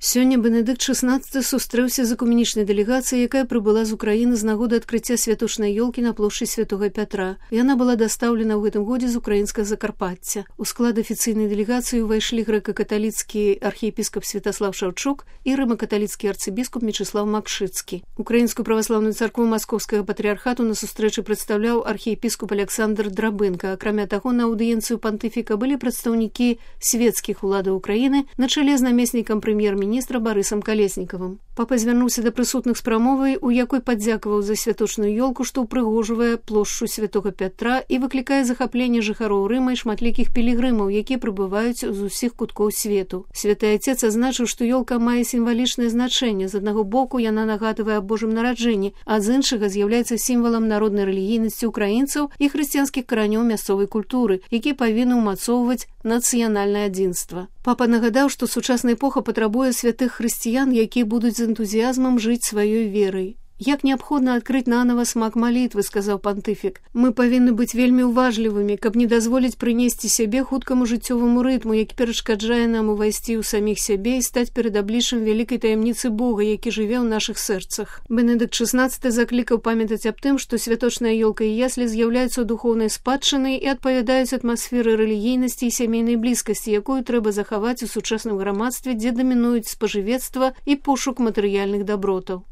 Сёння Бенедыкт XVI сустрэўся з экуменічнай дэлегацыяй, якая прыбыла з Украіны з нагоды адкрыцця святочнай ёлкі на плошчы Святога Пятра. Яна была дастаўлена ў гэтым годзе з украінскага Закарпацця. У склад афіцыйнай дэлегацыі ўвайшлі грэка-каталіцкі архіепіскап Святаслав Шаўчук і рыма-каталіцкі арцыбіскуп Мечыслав Макшыцкі. Украінскую праваслаўную царкву Маскоўскага патрыархату на сустрэчы прадстаўляў архіепіскоп Александр Драбынка. Акрамя таго, на аўдыенцыю пантыфіка былі прадстаўнікі свецкіх уладаў Украіны на чале з намеснікам прэм'ер-міністра Барысам Калеснікавым. Папа звярнуўся да прысутных з прамовай, у якой падзякаваў за святочную ёлку, што ўпрыгожвае плошчу Святога Пятра і выклікае захапленне жыхароў Рыма і шматлікіх пілігрымаў, якія прыбываюць з усіх куткоў свету. Святы Айцец азначыў, што ёлка мае сімвалічнае значэнне. З аднаго боку яна нагадвае аб Божым нараджэнні, а з іншага з'яўляецца сімвалам народнай рэлігійнасці ўкраінцаў і хрысціянскіх каранёў мясцовай культуры, які павінны ўмацоўваць нацыянальнае адзінства. Папа нагадаў, што сучасная эпоха патрабуе святых хрысціян, якія будуць з энтузіязмам жыць сваёй верай. Як неабходна адкрыць нанова смак малітвы, сказаў пантыфік. Мы павінны быць вельмі уважлівымі, каб не дазволіць прынесці сябе хуткаму жыццёваму рытму, які перашкаджае нам увайсці ў саміх сябе і стаць перад абліччам вялікай таямніцы Бога, які жыве ў нашых сэрцах. Бенедыкт XVI заклікаў памятаць аб тым, што святочная ёлка і яслі з'яўляюцца духоўнай спадчынай і адпавядаюць атмасферы рэлігійнасці і сямейнай блізкасці, якую трэба захаваць у сучасным грамадстве, дзе дамінуюць спажывецтва і пошук матэрыяльных дабротаў.